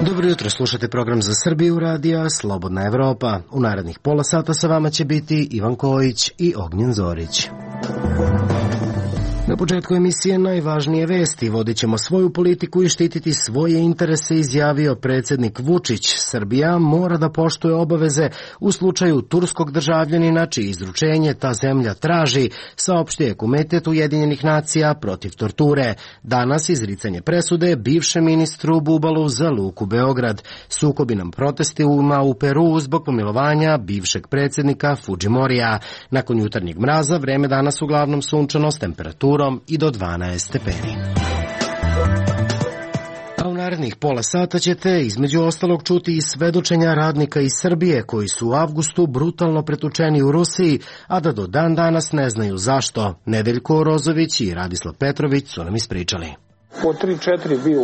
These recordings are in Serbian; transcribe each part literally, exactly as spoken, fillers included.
Dobro jutro, slušate program Za Srbiju radija Slobodna Evropa. U narednih pola sata sa vama će biti Ivan Kojić i Ognjen Zorić. Na početku emisije najvažnije vesti. Vodit ćemo svoju politiku i štititi svoje interese, izjavio predsjednik Vučić. Srbija mora da poštuje obaveze u slučaju turskog državljanina čije izručenje ta zemlja traži, saopštio je Komitet Ujedinjenih nacija protiv torture. Danas izricanje presude bivšem ministru Bubalu za Luku Beograd. Sukobi nam protestima u Peru zbog pomilovanja bivšeg predsjednika Fudžimorija. Nakon jutarnjeg mraza vreme danas uglavnom sunčano s temperaturom i do dvanaest stepeni. A u narednih pola sata ćete između ostalog čuti i svedočenja radnika iz Srbije koji su u avgustu brutalno pretučeni u Rusiji, a da do dan danas ne znaju zašto. Nedeljko Rozović i Radislav Petrović su nam ispričali. Po tri četiri bio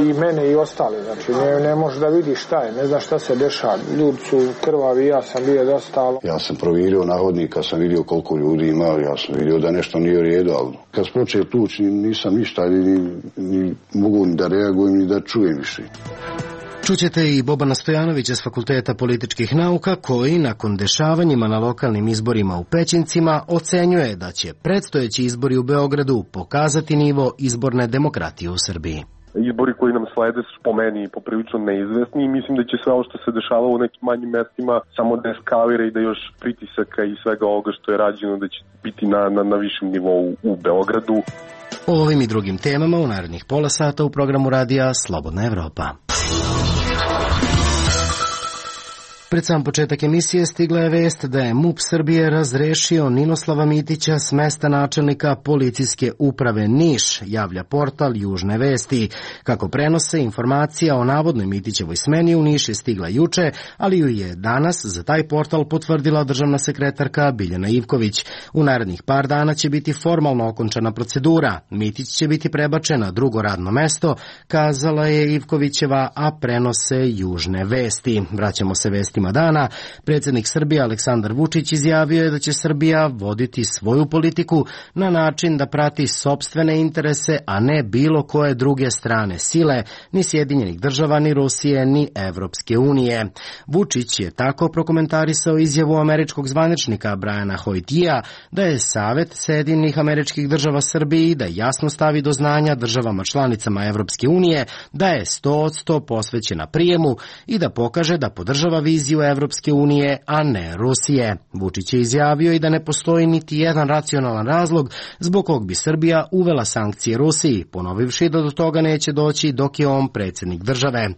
i mene i ostali, znači ne, ne može da vidi šta je, ne zna šta se dešava. Ljudi su krvavi, ja sam bio dosta. Ja sam provjerio na hodnika, sam vidio koliko ljudi ima, ja sam vidio da nešto nije u redu, ali kad sam počeo tući nisam ništa, ni, ni mogu ni da reagujem, ni da čujem više. Čućete i Bobana Stojanovića s Fakulteta političkih nauka koji nakon dešavanjima na lokalnim izborima u Pećincima ocenjuje da će predstojeći izbori u Beogradu pokazati nivo izborne demokratije u Srbiji. Izbori koji nam slede su po meni poprilično neizvesni i mislim da će sve ovo što se dešava u nekim manjim mestima samo da eskalira i da još pritisaka i svega ovoga što je rađeno da će biti na, na, na višem nivou u Beogradu. O ovim i drugim temama u narednih pola sata u programu radija Slobodna Evropa. Pred sam početak emisije stigla je vest da je MUP Srbije razrešio Ninoslava Mitića s mesta načelnika policijske uprave Niš, javlja portal Južne vesti. Kako prenose, informacija o navodnoj Mitićevoj smeni u Niš je stigla juče, ali ju je danas za taj portal potvrdila državna sekretarka Biljana Ivković. U narednih par dana će biti formalno okončana procedura. Mitić će biti prebačen na drugo radno mesto, kazala je Ivkovićeva, a prenose Južne vesti. Vraćamo se vesti dana. Predsjednik Srbije Aleksandar Vučić izjavio je da će Srbija voditi svoju politiku na način da prati sopstvene interese, a ne bilo koje druge strane sile, ni Sjedinjenih država, ni Rusije, ni Evropske unije. Vučić je tako prokomentarisao izjavu američkog zvaničnika Briana Hoytija da je Savet Sjedinjenih Američkih Država Srbiji da jasno stavi do znanja državama članicama Evropske unije da je sto posto posvećena prijemu i da pokaže da podržava viziju Evropske unije, a ne Rusije. Vučić je izjavio i da ne postoji niti jedan racionalan razlog zbog kog bi Srbija uvela sankcije Rusiji, ponovivši da do toga neće doći dok je on predsjednik države.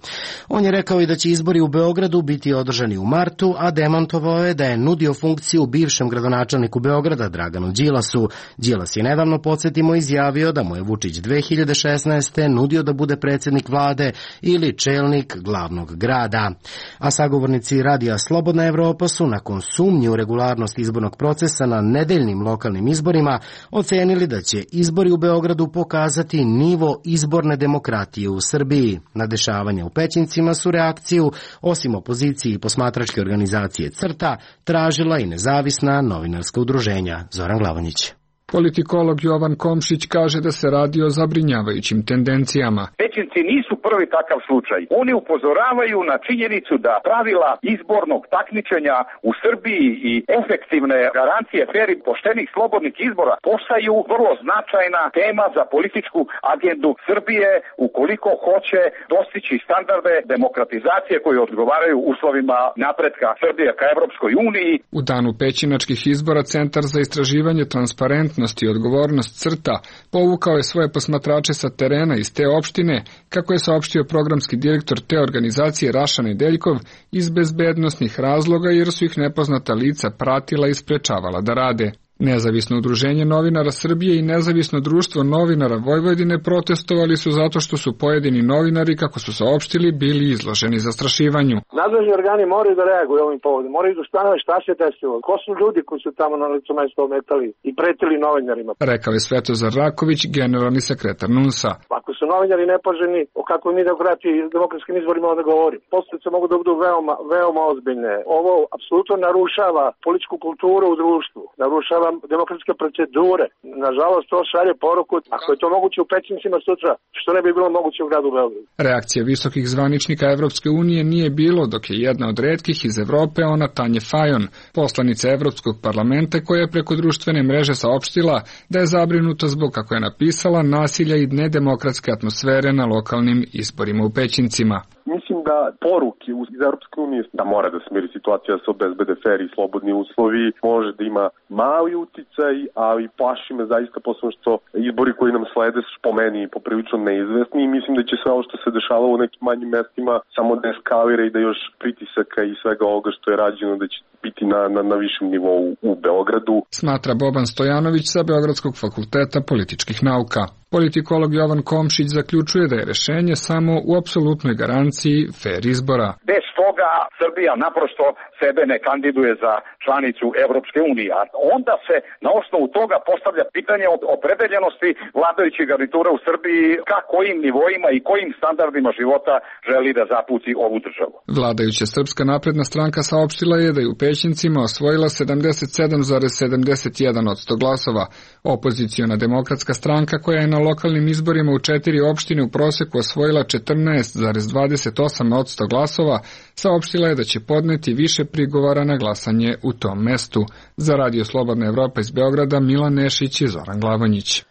On je rekao i da će izbori u Beogradu biti održani u martu, a demantovao je da je nudio funkciju bivšem gradonačelniku Beograda Draganu Đilasu. Đilas je nedavno, podsjetimo, izjavio da mu je Vučić dve hiljade šesnaeste. nudio da bude predsjednik vlade ili čelnik glavnog grada. A sagovornici Radija Slobodna Evropa su nakon sumnje u regularnost izbornog procesa na nedeljnim lokalnim izborima ocenili da će izbori u Beogradu pokazati nivo izborne demokratije u Srbiji. Na dešavanje u Pećincima su reakciju, osim opoziciji i posmatračke organizacije CRTA, tražila i nezavisna novinarska udruženja. Zoran Glavonjić. Politikolog Jovan Komšić kaže da se radi o zabrinjavajućim tendencijama. Pećinci nisu prvi takav slučaj. Oni upozoravaju na činjenicu da pravila izbornog takmičenja u Srbiji i efektivne garancije fer i poštenih slobodnih izbora postaju vrlo značajna tema za političku agendu Srbije ukoliko hoće dostići standarde demokratizacije koji odgovaraju uslovima napretka Srbije ka Evropskoj uniji. U danu pećinačkih izbora Centar za istraživanje transparentnosti i odgovornost CRTA povukao je svoje posmatrače sa terena iz te opštine, kako je saopštio programski direktor te organizacije Raša Nedeljkov, iz bezbednosnih razloga jer su ih nepoznata lica pratila i sprečavala da rade. Nezavisno udruženje novinara Srbije i Nezavisno društvo novinara Vojvodine protestovali su zato što su pojedini novinari, kako su saopštili, bili izloženi zastrašivanju. Nadležni organi moraju da reaguju ovim povodom, moraju da ustanove šta se desilo, ko su ljudi koji su tamo na licu mesta ometali i pretili novinarima. Rekao je Svetozar Raković, generalni sekretar N U N S-a. Ako su novinari nepoželjni, o kakvoj mi demokratiji i demokratskim izborima onda govorim. Posledice mogu da budu veoma, veoma ozbiljne. Ovo apsolutno narušava političku kulturu u društvu, narušava demokratske procedure. Nažalost, to šalje poruku, ako je to moguće u Pećincima sutra, što ne bi bilo moguće u gradu Beogradu. Reakcija visokih zvaničnika Evropske unije nije bilo, dok je jedna od retkih iz Evrope ona Tanje Fajon, poslanica Evropskog parlamenta, koja je preko društvene mreže saopštila da je zabrinuta zbog, kako je napisala, nasilja i nedemokratske atmosfere na lokalnim izborima u Pećincima. Mislim da poruke iz Europske unije da mora da smiri situacija, da se obezbede fer i slobodni uslovi, može da ima mali uticaj, ali plaši me zaista posebno što izbori koji nam slede su po meni poprilično neizvesni i mislim da će sve ovo što se dešavalo u nekim manjim mestima samo da eskalira i da još pritisaka i svega ovoga što je rađeno da će biti na, na, na višem nivou u Beogradu. Smatra Boban Stojanović sa Beogradskog fakulteta političkih nauka. Politikolog Jovan Komšić zaključuje da je rešenje samo u apsolutnoj garanciji fer izbora. Bez toga Srbija naprosto sebe ne kandiduje za članicu Evropske unije. A onda se na osnovu toga postavlja pitanje o opredeljenosti vladajućih garnitura u Srbiji ka kojim nivoima i kojim standardima života želi da zapuci ovu državu. Vladajuća Srpska napredna stranka saopštila je da je u Pećincima osvojila sedamdeset sedam zarez sedamdeset jedan posto glasova. Opoziciona demokratska stranka, koja je na lokalnim izborima u četiri opštine u proseku osvojila četrnaest zarez dvadeset osam posto glasova, saopštila je da će podneti više prigovora na glasanje u tom mestu. Za Radio Slobodna Evropa iz Beograda, Milan Nešić i Zoran Glavanjić.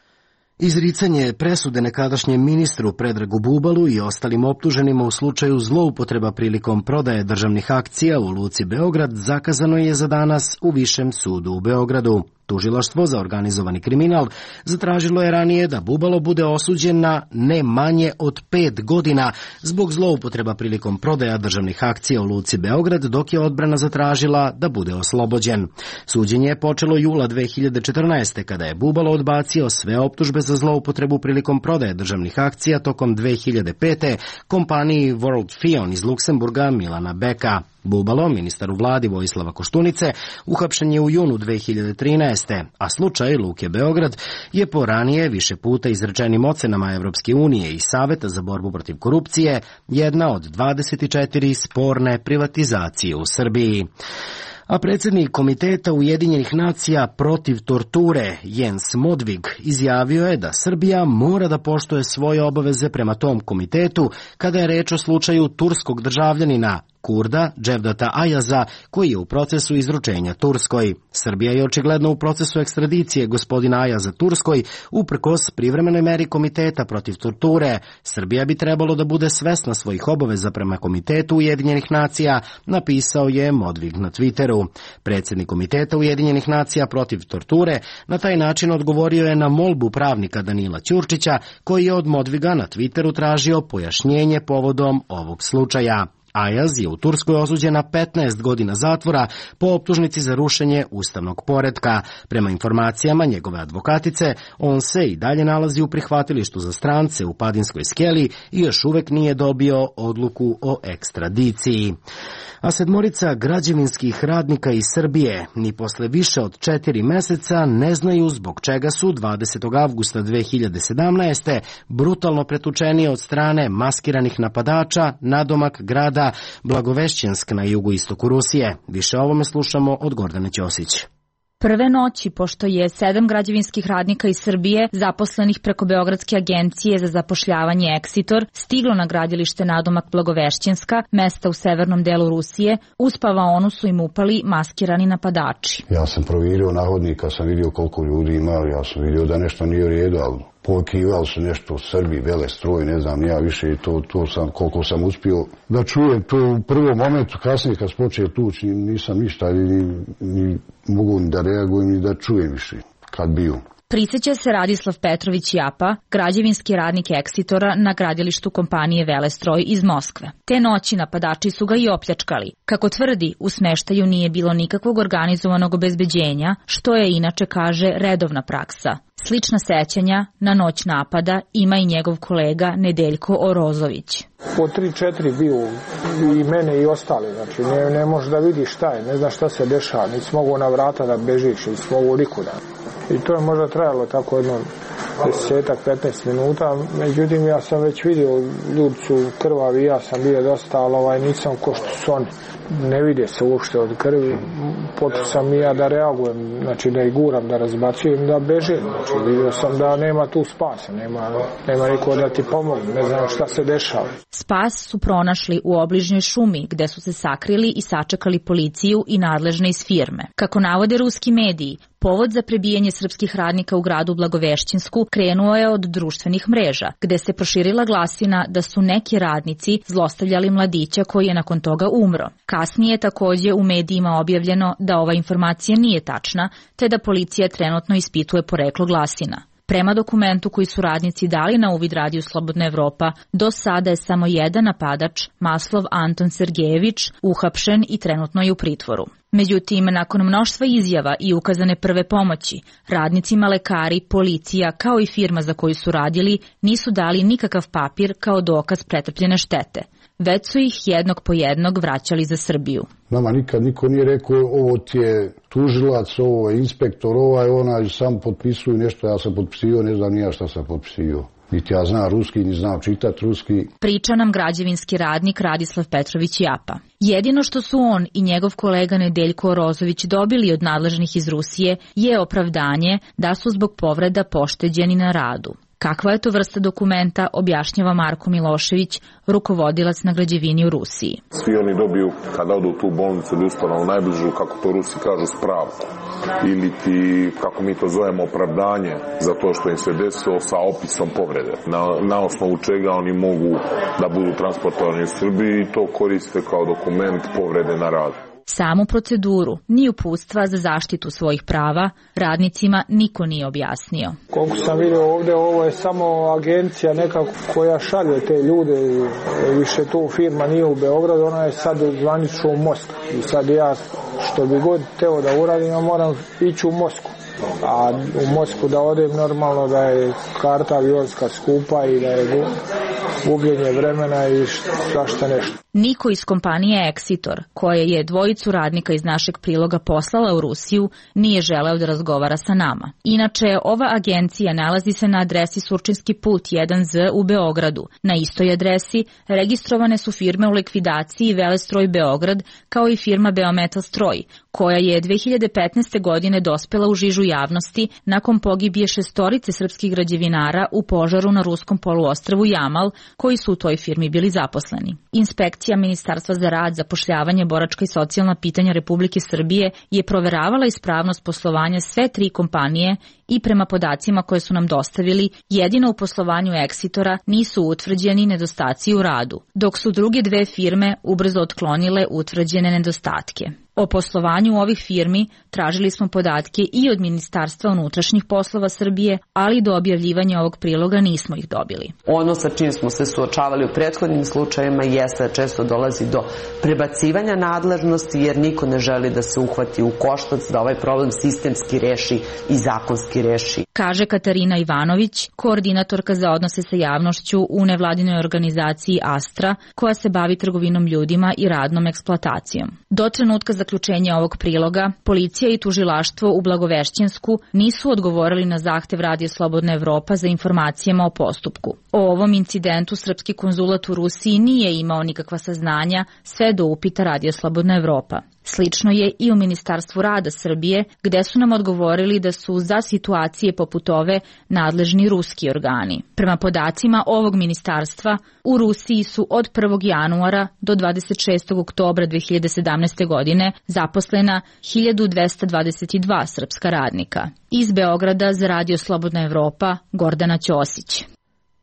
Izricanje presude nekadašnjem ministru Predragu Bubalu i ostalim optuženima u slučaju zloupotreba prilikom prodaje državnih akcija u Luci Beograd zakazano je za danas u Višem sudu u Beogradu. Tužilaštvo za organizovani kriminal zatražilo je ranije da Bubalo bude osuđen na ne manje od pet godina zbog zloupotreba prilikom prodaja državnih akcija u Luci Beograd, dok je odbrana zatražila da bude oslobođen. Suđenje je počelo jula dve hiljade četrnaeste. kada je Bubalo odbacio sve optužbe za zloupotrebu prilikom prodaje državnih akcija tokom dve hiljade pete. kompaniji World Fion iz Luksemburga Milana Beka. Bubalo, ministar u vladi Vojislava Koštunice, uhapšen je u junu dve hiljade trinaeste. a slučaj Luke Beograd je po ranije više puta izrečenim ocenama Evropske unije i Saveta za borbu protiv korupcije jedna od dvadeset četiri sporne privatizacije u Srbiji. A predsjednik Komiteta Ujedinjenih nacija protiv torture Jens Modvig izjavio je da Srbija mora da poštuje svoje obaveze prema tom komitetu kada je reč o slučaju turskog državljanina Kurda Dževdata Ajaza, koji je u procesu izručenja Turskoj. Srbija je očigledno u procesu ekstradicije gospodina Ajaza Turskoj uprkos privremenoj meri Komiteta protiv torture. Srbija bi trebalo da bude svesna svojih obaveza prema Komitetu Ujedinjenih nacija, napisao je Modvig na Twitteru. Predsjednik Komiteta Ujedinjenih nacija protiv torture na taj način odgovorio je na molbu pravnika Danila Ćurčića, koji je od Modviga na Twitteru tražio pojašnjenje povodom ovog slučaja. Ajaz je u Turskoj osuđen na petnaest godina zatvora po optužnici za rušenje ustavnog poretka. Prema informacijama njegove advokatice, on se i dalje nalazi u prihvatilištu za strance u Padinskoj skeli i još uvek nije dobio odluku o ekstradiciji. A sedmorica građevinskih radnika iz Srbije ni posle više od četiri meseca ne znaju zbog čega su dvadesetog avgusta dve hiljade sedamnaeste. brutalno pretučeni od strane maskiranih napadača nadomak grada Blagovešćensk na jugoistoku Rusije. Više o ovome slušamo od Gordane Ćosić. Prve noći, pošto je sedam građevinskih radnika iz Srbije, zaposlenih preko Beogradske agencije za zapošljavanje Eksitor, stiglo na gradilište nadomak Blagovešćenska, mesta u severnom delu Rusije, uz spavaonu su im upali maskirani napadači. Ja sam provjerio nahodnika, sam vidio koliko ljudi ima, ja sam vidio da nešto nije u redu, ali pokivali su nešto u Srbiji, vele stroj, ne znam, ja više to, to sam, koliko sam uspio da čujem to u prvom momentu, kasnije kad spočeo tuć, nisam ništa, ni, ni mogu ni da reagujem, ni da čujem više kad bio. Prisjeća se Radislav Petrović Japa, građevinski radnik Eksitora na gradilištu kompanije Velestroj iz Moskve. Te noći napadači su ga i opljačkali. Kako tvrdi, u smeštaju nije bilo nikakvog organizovanog obezbeđenja, što je inače, kaže, redovna praksa. Slična sećanja na noć napada ima i njegov kolega Nedeljko Orozović. Po tri četiri bio i mene i ostali, znači ne, ne možeš da vidiš šta je, ne znaš šta se dešava, nisi mogu na vrata da bežiš, nisi mogu nikuda. I to je možda trajalo tako jedno desetak, petnaest minuta, međutim ja sam već vidio, ljudi su krvavi, ja sam bio dosta, ali ovaj, nisam ko što su oni. Ne vide se uopšte od krvi, počeo sam i ja da reagujem, znači da ih guram, da razbacujem, da bežim, znači vidio sam da nema tu spasa, nema, nema niko da ti pomogne, ne znam šta se dešava. Spas su pronašli u obližnjoj šumi, gde su se sakrili i sačekali policiju i nadležne iz firme. Kako navode ruski mediji, povod za prebijanje srpskih radnika u gradu Blagovešćinsku krenuo je od društvenih mreža, gde se proširila glasina da su neki radnici zlostavljali mladića koji je nakon toga umro. Kasnije je takođe u medijima objavljeno da ova informacija nije tačna, te da policija trenutno ispituje poreklo glasina. Prema dokumentu koji su radnici dali na uvid Radiju Slobodna Evropa, do sada je samo jedan napadač, Maslov Anton Sergejević, uhapšen i trenutno je u pritvoru. Međutim, nakon mnoštva izjava i ukazane prve pomoći, radnicima, lekari, policija, kao i firma za koju su radili, nisu dali nikakav papir kao dokaz pretrpljene štete. Već su ih jednog po jednog vraćali za Srbiju. Nama nikad niko nije rekao ovo ti je tužilac, ovo je inspektor, ovaj, onaj, sam potpisuju nešto, ja sam potpisio, ne znam nija šta sam potpisio. Niti ja znam ruski, ni znam čitat ruski. Priča nam građevinski radnik Radislav Petrović Japa. Jedino što su on i njegov kolega Nedeljko Orozović dobili od nadležnih iz Rusije je opravdanje da su zbog povreda pošteđeni na radu. Kakva je to vrsta dokumenta, objašnjava Marko Milošević, rukovodilac na građevini u Rusiji. Svi oni dobiju, kada odu u tu bolnicu ili ustanovu najbližu, kako to Rusi kažu, spravku. Ili ti, kako mi to zovemo, opravdanje za to što im se desilo sa opisom povrede. Na, na osnovu čega oni mogu da budu transportovani u Srbiji i to koriste kao dokument povrede na radu. Samu proceduru, ni uputstva za zaštitu svojih prava, radnicima niko nije objasnio. Koliko sam vidio ovdje, ovo je samo agencija nekako koja šalje te ljude, više tu firma nije u Beogradu, ona je sad zvanično u Moskvi. I sad ja, što bi god teo da uradim, ja moram ići u Moskvu. A u Moskvu da odem normalno da je karta avionska skupa i da je gubljenje vremena i svašta nešto. Niko iz kompanije Eksitor, koja je dvojicu radnika iz našeg priloga poslala u Rusiju, nije želeo da razgovara sa nama. Inače, ova agencija nalazi se na adresi Surčinski put jedan Z u Beogradu. Na istoj adresi registrovane su firme u likvidaciji Velestroj Beograd, kao i firma Beometal Stroj, koja je dve hiljade petnaeste. godine dospela u žižu javnosti nakon pogibije šestorice srpskih građevinara u požaru na ruskom poluostrvu Jamal, koji su u toj firmi bili zaposleni. Inspekcija Ministarstva za rad, zapošljavanje, boračka i socijalna pitanja Republike Srbije je proveravala ispravnost poslovanja sve tri kompanije i prema podacima koje su nam dostavili, jedino u poslovanju Eksitora nisu utvrđeni nedostaci u radu, dok su druge dve firme ubrzo otklonile utvrđene nedostatke. O poslovanju ovih firmi tražili smo podatke i od Ministarstva unutrašnjih poslova Srbije, ali do objavljivanja ovog priloga nismo ih dobili. Ono sa čim smo se suočavali u prethodnim slučajevima jeste da često dolazi do prebacivanja nadležnosti, jer niko ne želi da se uhvati u koštac, da ovaj problem sistemski reši i zakonski reši. Kaže Katarina Ivanović, koordinatorka za odnose sa javnošću u nevladinoj organizaciji Astra, koja se bavi trgovinom ljudima i radnom eksploatacijom. Do trenutka zaključenja ovog priloga, policija i tužilaštvo u Blagovešćinsku nisu odgovorili na zahtev Radija Slobodna Evropa za informacijama o postupku. O ovom incidentu srpski konzulat u Rusiji nije imao nikakva saznanja sve do upita Radija Slobodna Evropa. Slično je i u Ministarstvu rada Srbije, gde su nam odgovorili da su za situacije poput ove nadležni ruski organi. Prema podacima ovog ministarstva, u Rusiji su od prvog januara do dvadeset šestog oktobra dve hiljade sedamnaeste. godine zaposlena hiljadu dvesta dvadeset dva srpska radnika. Iz Beograda za Radio Slobodna Evropa, Gordana Ćosić.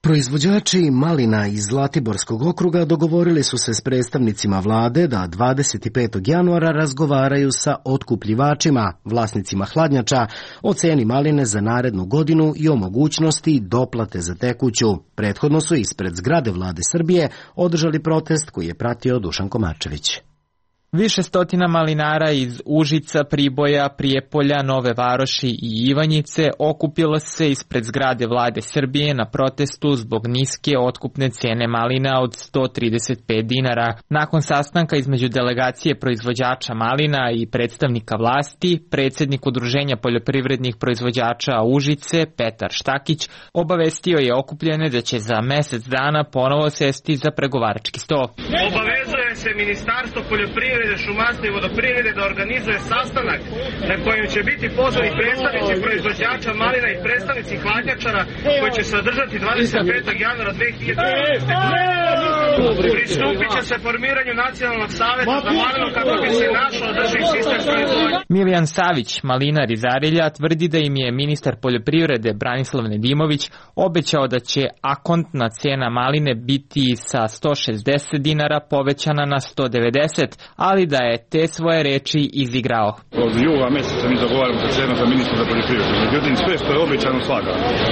Proizvođači malina iz Zlatiborskog okruga dogovorili su se s predstavnicima vlade da dvadeset petog januara razgovaraju sa otkupljivačima, vlasnicima hladnjača, o ceni maline za narednu godinu i o mogućnosti doplate za tekuću. Prethodno su ispred zgrade vlade Srbije održali protest koji je pratio Dušan Komarčević. Više stotina malinara iz Užica, Priboja, Prijepolja, Nove Varoši i Ivanjice okupilo se ispred zgrade vlade Srbije na protestu zbog niske otkupne cene malina od sto trideset pet dinara. Nakon sastanka između delegacije proizvođača malina i predstavnika vlasti, predsjednik Udruženja poljoprivrednih proizvođača Užice, Petar Štakić, obavestio je okupljene da će za mesec dana ponovo sesti za pregovarački sto. Obavezuje se Ministarstvo poljoprivrede, šumarstva i vodoprivrede da organizuje sastanak na kojem će biti pozvani predstavnici proizvođača malina i predstavnici hladnjačara koji će se održati dvadeset petog januara dve hiljade trinaeste. Pristupit će se formiranju nacionalnog saveta za malinu kako bi se našao održiv sistem proizvodnje. Miljan Savić, malinar iz Arilja, tvrdi da im je ministar poljoprivrede Branislav Nedimović obećao da će akontna cena maline biti sa sto šezdeset dinara povećana na sto devedeset, ali da je te svoje reči izigrao. Od jula meseca mi zagovaramo za cenu za ministra za poljoprivredu. Međutim, sve što je obećano slaga.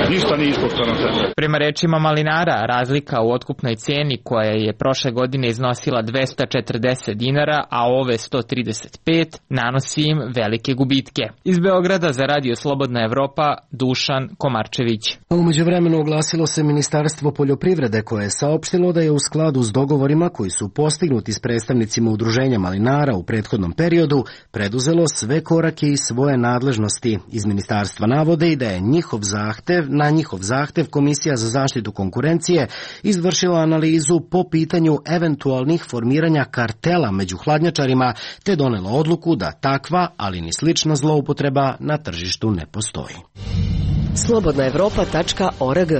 Ništa nije ispoštovano sve. Prema rečima malinara, razlika u otkupnoj ceni koja je prošle godine iznosila dvesta četrdeset dinara, a ove sto trideset pet, nanosi im velike gubitke. Iz Beograda za Radio Slobodna Evropa, Dušan Komarčević. U međuvremenu oglasilo se Ministarstvo poljoprivrede koje je saopštilo da je u skladu s dogovorima koji su postignuti s predstavnicima udruženja malinara u prethodnom periodu preduzelo sve korake i svoje nadležnosti. Iz ministarstva navode i da je njihov zahtev, na njihov zahtev Komisija za zaštitu konkurencije izvršila analizu po pitanju eventualnih formiranja kartela među hladnjačarima te donela odluku da takva, ali ni slična zloupotreba na tržištu ne postoji. slobodna evropa tačka org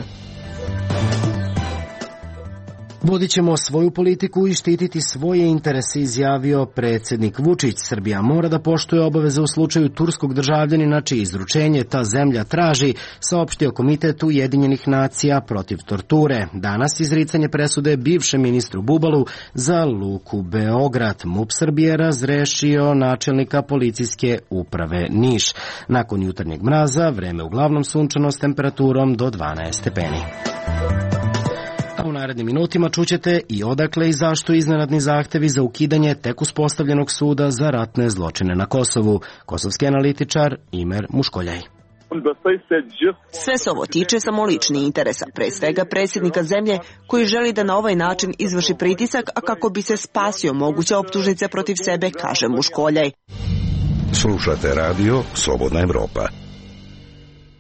Vodit ćemo svoju politiku i štititi svoje interese, izjavio predsjednik Vučić. Srbija mora da poštuje obaveze u slučaju turskog državljanina čije izručenje ta zemlja traži, saopštio Komitet Ujedinjenih nacija protiv torture. Danas izricanje presude bivšem ministru Bubalu za luku Beograd. MUP Srbije razrešio načelnika policijske uprave Niš. Nakon jutarnjeg mraza, vreme uglavnom sunčano s temperaturom do dvanaest stepeni. U narednim minutima čućete i odakle i zašto iznenadni zahtevi za ukidanje tek uspostavljenog suda za ratne zločine na Kosovu. Kosovski analitičar Imer Muškoljaj. Sve se ovo tiče samo lični interesa, pre svega predsjednika zemlje koji želi da na ovaj način izvrši pritisak, a kako bi se spasio moguće optužnice protiv sebe, kaže Muškoljaj. Slušate radio Slobodna Evropa.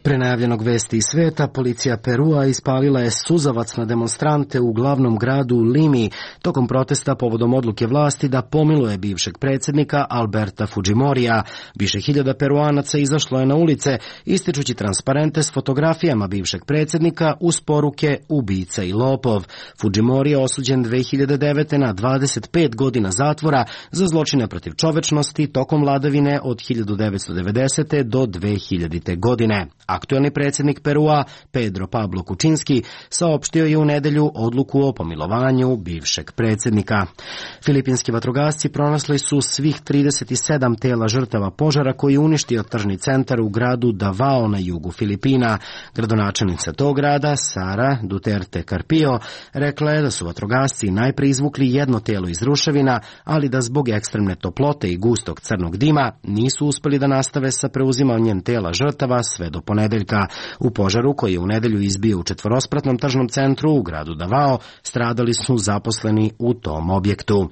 Pre najavljenog vesti iz sveta, policija Perua ispalila je suzavac na demonstrante u glavnom gradu Limi tokom protesta povodom odluke vlasti da pomiluje bivšeg predsjednika Alberta Fujimorija. Više hiljada Peruanaca izašlo je na ulice, ističući transparente s fotografijama bivšeg predsjednika uz poruke ubica i lopov. Fujimori je osuđen dve hiljade devete. na dvadeset pet godina zatvora za zločine protiv čovečnosti tokom vladavine od hiljadu devetsto devedesete. do dve hiljadite. godine. Aktuelni predsjednik Perua, Pedro Pablo Kučinski, saopštio je u nedelju odluku o pomilovanju bivšeg predsjednika. Filipinski vatrogasci pronašli su svih trideset sedam tela žrtava požara koji je uništio tržni centar u gradu Davao na jugu Filipina. Gradonačelnica tog grada, Sara Duterte Carpio, rekla je da su vatrogasci najprije izvukli jedno telo iz ruševina, ali da zbog ekstremne toplote i gustog crnog dima nisu uspeli da nastave sa preuzimanjem tela žrtava sve do ponedeljka. U požaru koji je u nedelju izbio u četvorospratnom tržnom centru u gradu Davao stradali su zaposleni u tom objektu.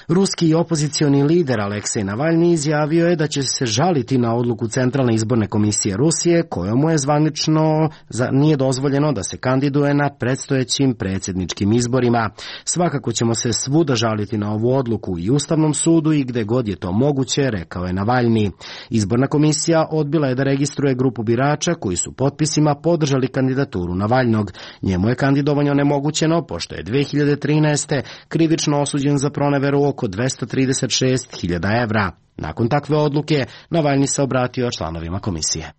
Ruski opozicioni lider Aleksej Navalni izjavio je da će se žaliti na odluku Centralne izborne komisije Rusije kojom mu je zvanično za, nije dozvoljeno da se kandiduje na predstojećim predsjedničkim izborima. Svakako ćemo se svuda žaliti na ovu odluku i Ustavnom sudu i gde god je to moguće, rekao je Navalni. Izborna komisija odbila je da registruje grupu birača koji su potpisima podržali kandidaturu Navalnog. Njemu je kandidovanje onemogućeno pošto je dve hiljade trinaeste. krivično osuđen za proneveru oko dvesta trideset šest hiljada evra. Nakon takve odluke, Navalni se obratio članovima komisije.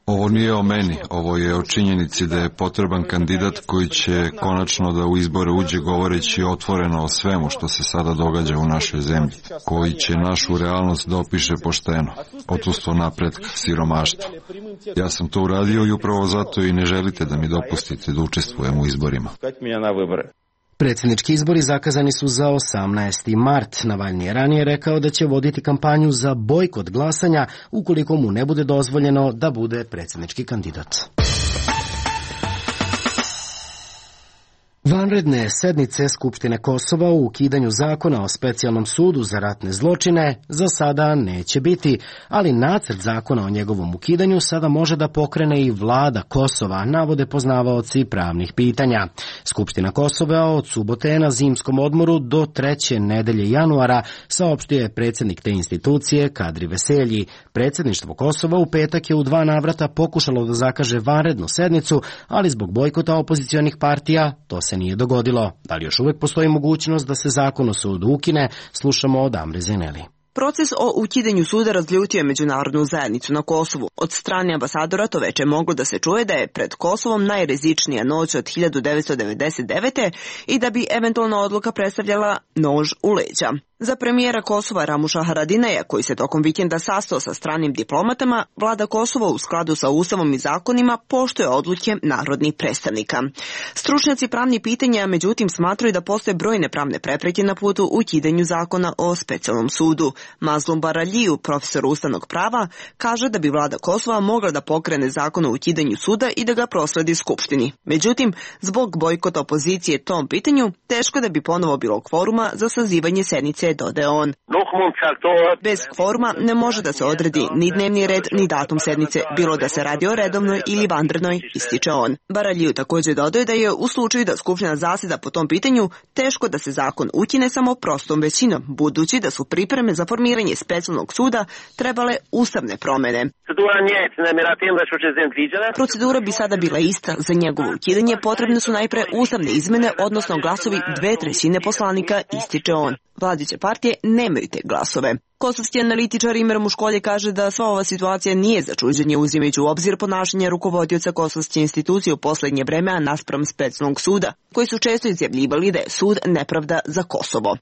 Ovo nije o meni, ovo je o činjenici da je potreban kandidat koji će konačno da u izbore uđe govoreći otvoreno o svemu što se sada događa u našoj zemlji, koji će našu realnost da opiše pošteno, odsustvo napretka, siromaštva. Ja sam to uradio i upravo zato i ne želite da mi dopustite da učestvujem u izborima. Predsjednički izbori zakazani su za osamnaesti mart. Navalni je ranije rekao da će voditi kampanju za bojkot glasanja ukoliko mu ne bude dozvoljeno da bude predsjednički kandidat. Vanredne sednice Skupštine Kosova u ukidanju zakona o specijalnom sudu za ratne zločine za sada neće biti, ali nacrt zakona o njegovom ukidanju sada može da pokrene i vlada Kosova, navode poznavaoci pravnih pitanja. Skupština Kosova od subote je na zimskom odmoru do treće nedelje januara, saopštio je predsjednik te institucije Kadri Veselji. Predsjedništvo Kosova u petak je u dva navrata pokušalo da zakaže vanrednu sednicu, ali zbog bojkota opozicionih partija to se nije dogodilo. Da li još uvijek postoji mogućnost da se zakon o sudu ukine, slušamo od Amre Zeneli. Proces o ukidanju suda razljutio je međunarodnu zajednicu na Kosovu. Od strane ambasadora to veče moglo da se čuje da je pred Kosovom najrizičnija noć od hiljadu devetsto devedeset devete. i da bi eventualna odluka predstavljala nož u leđa. Za premijera Kosova Ramuša Haradinaja, koji se tokom vikenda sastao sa stranim diplomatama, vlada Kosova u skladu sa ustavom i zakonima poštuje odluke narodnih predstavnika. Stručnjaci pravnih pitanja međutim smatraju da postoje brojne pravne prepreke na putu ukidanju zakona o specijalnom sudu. Mazlum Baraliju, profesor ustavnog prava, kaže da bi vlada Kosova mogla da pokrene zakon o ukidanju suda i da ga prosledi Skupštini. Međutim, zbog bojkota opozicije tom pitanju, teško da bi ponovo bilo kvoruma za sazivanje sednice, dodaje on. Bez kvoruma ne može da se odredi ni dnevni red, ni datum sednice, bilo da se radi o redovnoj ili vanrednoj, ističe on. Baraliju također dodaje da je u slučaju da Skupština zaseda po tom pitanju, teško da se zakon ukine samo prostom većinom, budući da su pripreme za formiranje specijalnog suda trebale ustavne promjene. Procedura bi sada bila ista. Za njegovo ukidanje potrebne su najpre ustavne izmene, odnosno glasovi dve trećine poslanika, ističe on. Vladajuće partije nemaju te glasove. Kosovski analitičar Imer Muškolje kaže da sva ova situacija nije za čuđenje uzimajući u obzir ponašanje rukovodioca kosovske institucije u posljednje vreme naspram specijalnog suda, koji su često izjavljivali da je sud nepravda za Kosovo.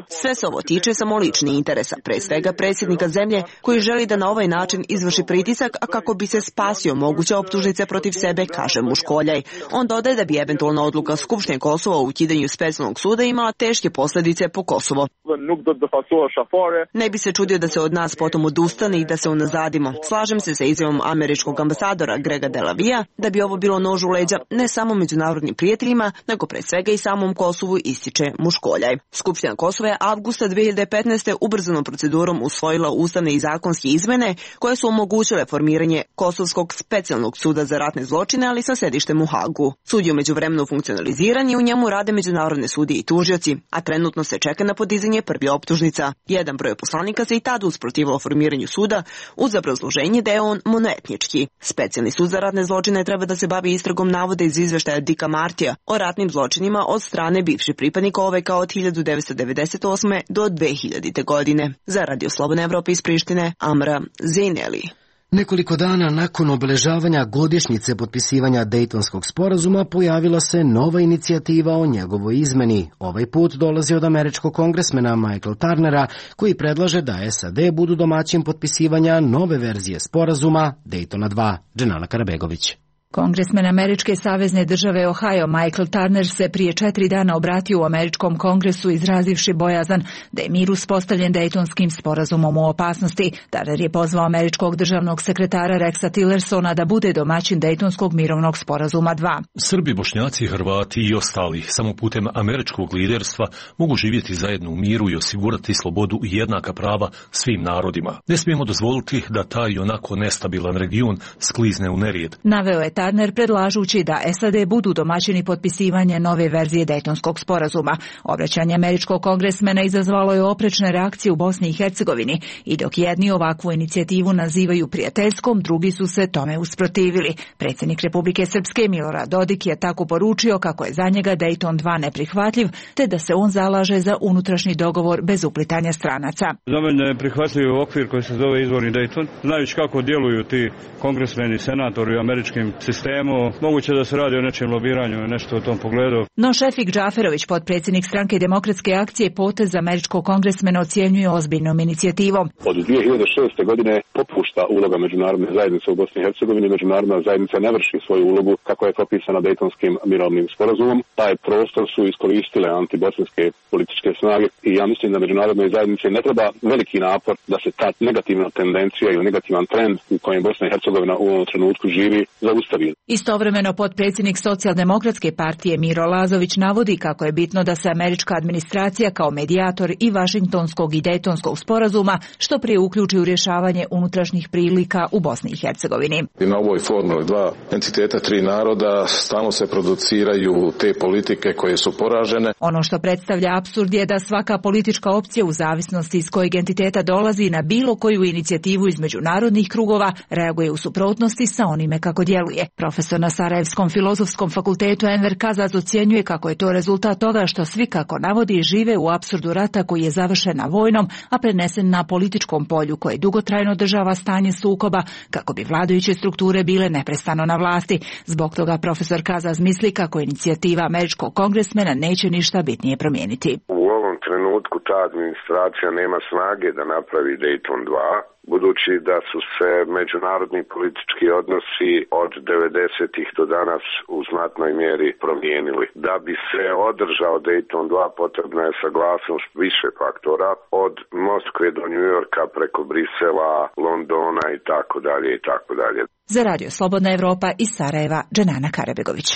Sve se ovo tiče samo ličnih interesa, pre svega predsjednika zemlje koji želi da na ovaj način izvrši pritisak, a kako bi se spasio moguće optužnice protiv sebe, kaže Muškoljaj. On dodaje da bi eventualna odluka Skupštine Kosova u ukidanju specijalnog suda imala teške posljedice po Kosovo. Ne bi se čudio da se od nas potom odustane i da se unazadimo. Slažem se sa izjavom američkog ambasadora Grega Delavija da bi ovo bilo nož u leđa ne samo međunarodnim prijateljima, nego pre svega i samom Kosovu, ističe Muškoljaj. Skupština Kosova je avgusta dve hiljade petnaeste. ubrzanom procedurom usvojila ustavne i zakonske izmene koje su omogućile formiranje Kosovskog specijalnog suda za ratne zločine, ali sa sedištem u Hagu. Sud je umeđuvremenu funkcionaliziran i u njemu rade međunarodne sudije i tužioci, a trenutno se čeka na podizanje prvi optužnica. Jedan broj poslanika se i tada usprotivilo formiranju suda uz obrazloženje da je on monoetnički. Specijalni sud za ratne zločine treba da se bavi istragom navoda iz izveštaja Dika Martija o ratnim zločinima od strane bivših pripadnika O V K od hiljadu devetsto devedeset osme. do dve hiljadite. godine. Za Radio Slobodne Evrope iz Prištine, Amra Zeneli. Nekoliko dana nakon obeležavanja godišnjice potpisivanja Dejtonskog sporazuma pojavila se nova inicijativa o njegovoj izmeni. Ovaj put dolazi od američkog kongresmena Michael Turnera, koji predlaže da S A D budu domaćin potpisivanja nove verzije sporazuma Dejtona dva. Dženana Karabegović. Kongresmen američke savezne države Ohio Michael Turner se prije četiri dana obratio u američkom kongresu izrazivši bojazan da je mir uspostavljen Dejtonskim sporazumom u opasnosti. Turner je pozvao američkog državnog sekretara Rexa Tillersona da bude domaćin Dejtonskog mirovnog sporazuma dva. Srbi, Bošnjaci, Hrvati i ostali samo putem američkog liderstva mogu živjeti zajedno u miru i osigurati slobodu i jednaka prava svim narodima. Ne smijemo dozvoliti da taj onako nestabilan region sklizne u nerijed. Naveo je Turner predlažući da S A D budu domaćini potpisivanja nove verzije Dejtonskog sporazuma. Obraćanje američkog kongresmena izazvalo je oprečne reakcije u Bosni i Hercegovini i dok jedni ovakvu inicijativu nazivaju prijateljskom, drugi su se tome usprotivili. Predsjednik Republike Srpske Milorad Dodik je tako poručio kako je za njega Dejton dva neprihvatljiv, te da se on zalaže za unutrašnji dogovor bez uplitanja stranaca. Za mene je prihvatljiv okvir koji se zove izvorni Dejton. Znajući kako djeluju ti kongresmeni, senatori u američkim sistemu, moguće da se radi o nečem lobiranju, nešto u tom pogledu. No Šefik Džaferović, potpredsjednik stranke Demokratske akcije, potez američkog kongresmena ocjenjuje ozbiljnom inicijativom. Od dvije hiljade šeste. godine popušta uloga međunarodne zajednice u Bosni i Hercegovini. Međunarodna zajednica ne vrši svoju ulogu kako je propisana Dejtonskim mirovnim sporazumom. Taj prostor su iskoristile antibosanske političke snage i ja mislim da međunarodnoj zajednici ne treba veliki napor da se ta negativna tendencija ili negativan trend u kojem Bosna i Hercegovina u ovom trenutku živi zaustavi. Istovremeno potpredsjednik Socijaldemokratske partije Miro Lazović navodi kako je bitno da se američka administracija kao medijator i Vašingtonskog i Dejtonskog sporazuma što prije uključi u rješavanje unutrašnjih prilika u Bosni i Hercegovini. I na ovoj formuli dva entiteta, tri naroda, stalno se produciraju te politike koje su poražene. Ono što predstavlja apsurd je da svaka politička opcija u zavisnosti iz kojeg entiteta dolazi na bilo koju inicijativu iz međunarodnih krugova reaguje u suprotnosti sa onime kako djeluje. Profesor na Sarajevskom filozofskom fakultetu Enver Kazaz ocjenjuje kako je to rezultat toga što svi, kako navodi, žive u apsurdu rata koji je završen na vojnom, a prenesen na političkom polju koje dugotrajno održava stanje sukoba kako bi vladajuće strukture bile neprestano na vlasti. Zbog toga profesor Kazaz misli kako inicijativa američkog kongresmena neće ništa bitnije promijeniti. U ovom trenutku ta administracija nema snage da napravi Dejton dva, budući da su se međunarodni politički odnosi od devedesetih do danas u znatnoj mjeri promijenili. Da bi se održao Dejton dva potrebna je saglasnost više faktora, od Moskve do New Yorka preko Brisela, Londona i tako dalje i tako dalje. Za Radio Slobodna Evropa iz Sarajeva, Dženana Karabegović.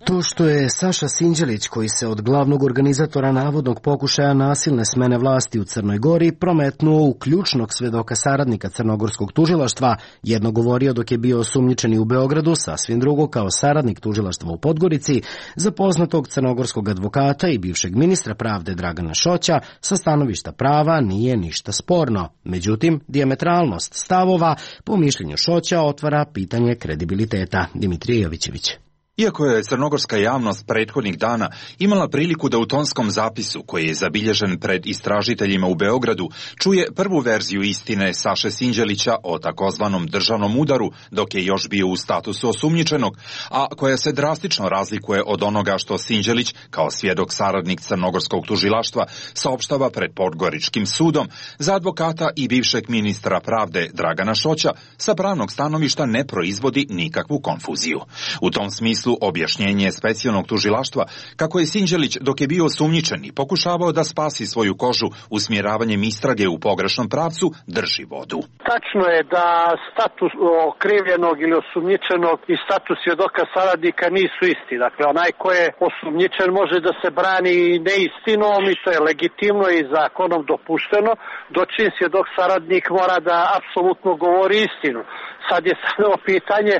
To što je Saša Sinđelić, koji se od glavnog organizatora navodnog pokušaja nasilne smene vlasti u Crnoj Gori prometnuo u ključnog svedoka saradnika crnogorskog tužilaštva, jedno govorio dok je bio osumnjičeni u Beogradu, sasvim drugo kao saradnik tužilaštva u Podgorici, za poznatog crnogorskog advokata i bivšeg ministra pravde Dragana Šoća, sa stanovišta prava nije ništa sporno. Međutim, dijametralnost stavova, po mišljenju Šoća, otvara pitanje kredibiliteta. Dimitrije Jovićević. Iako je crnogorska javnost prethodnih dana imala priliku da u tonskom zapisu, koji je zabilježen pred istražiteljima u Beogradu, čuje prvu verziju istine Saše Sinđelića o takozvanom državnom udaru, dok je još bio u statusu osumnjičenog, a koja se drastično razlikuje od onoga što Sinđelić, kao svjedok saradnik crnogorskog tužilaštva, saopštava pred Podgoričkim sudom, za advokata i bivšeg ministra pravde Dragana Šoća sa pravnog stanovišta ne proizvodi nikakvu konfuziju. U tom smislu objašnjenje specijalnog tužilaštva kako je Sinđelić, dok je bio osumnjičen i pokušavao da spasi svoju kožu usmjeravanjem istrage u pogrešnom pravcu, drži vodu. Tačno je da status okrivljenog ili osumnjičenog i status svjedoka saradnika nisu isti. Dakle, onaj ko je osumnjičen može da se brani neistinom i to je legitimno i zakonom dopušteno, dočim svjedok saradnik mora da apsolutno govori istinu. Sad je samo pitanje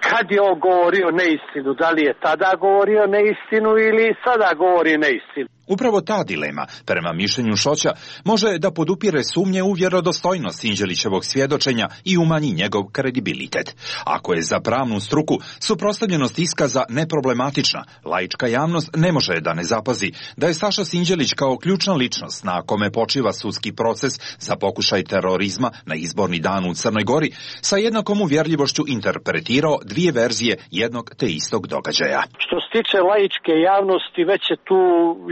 kad je on govorio neistinu, da li je tada govorio neistinu ili sada govori neistinu. Upravo ta dilema, prema mišljenju Šoća, može da podupire sumnje u vjerodostojnost Sinđelićevog svjedočenja i umanji njegov kredibilitet. Ako je za pravnu struku suprotstavljenost iskaza neproblematična, laička javnost ne može da ne zapazi da je Saša Sinđelić kao ključna ličnost na kome počiva sudski proces za pokušaj terorizma na izborni dan u Crnoj Gori sa jednakom uvjerljivošću interpretirao dvije verzije jednog te istog događaja. Što se tiče laičke javnosti, već je tu,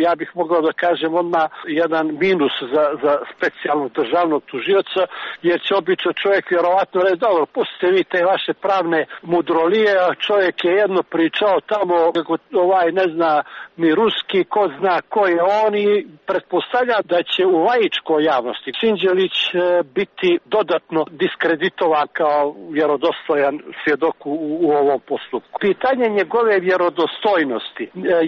ja bih mogao da kažem, odmah jedan minus za, za specijalnog državnog tužioca, jer će obično čovjek vjerovatno reći, dobro, pustite vi te vaše pravne mudrolije, a čovjek je jedno pričao tamo, kako ovaj ne zna ni ruski, ko zna ko je on i pretpostavlja da će u laičkoj javnosti Sinđelić biti dodatno diskreditovan kao vjerodostojan svjedok u, u ovom postupku. Pitanje njegove vjerodostojnosti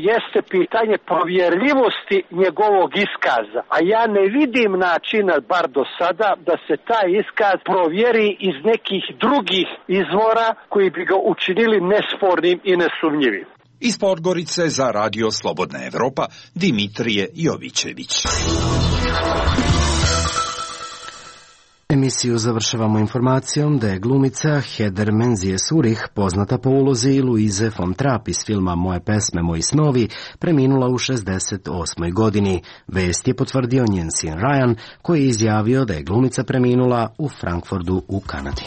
jeste pitanje provjerljivosti njegovog iskaza, a ja ne vidim načina, bar do sada, da se taj iskaz provjeri iz nekih drugih izvora koji bi ga učinili nespornim i nesumnjivim. Iz Podgorice za Radio Slobodna Evropa, Dimitrije Jovićević. Emisiju završavamo informacijom da je glumica Heder Menzije Surih, poznata po ulozi Luize von Trapp iz filma Moje pesme, moji snovi, preminula u šezdeset osmoj godini. Vest je potvrdio njen sin Ryan, koji je izjavio da je glumica preminula u Frankfurtu u Kanadi.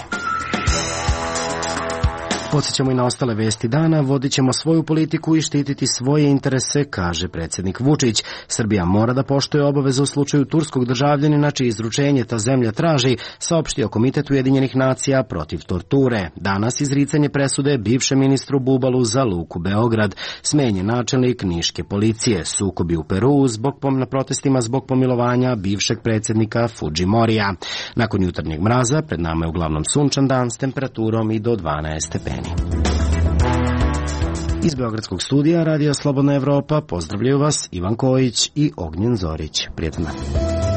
Podsjećamo i na ostale vesti dana, vodit ćemo svoju politiku i štititi svoje interese, kaže predsjednik Vučić. Srbija mora da poštuje obaveze u slučaju turskog državljanina čije izručenje ta zemlja traži, saopštio Komitet Ujedinjenih nacija protiv torture. Danas izricanje presude bivšem ministru Bubalu za Luku Beograd. Smenjen načelnik niške policije, sukobi u Peru zbog na protestima zbog pomilovanja bivšeg predsjednika Fudžimorija. Nakon jutarnjeg mraza pred nama je uglavnom sunčan dan s temperaturom i do dvanaest stepeni. Iz Beogradskog studija Radio Slobodna Evropa pozdravljaju vas Ivan Kojić i Ognjen Zorić. Prijatno dan.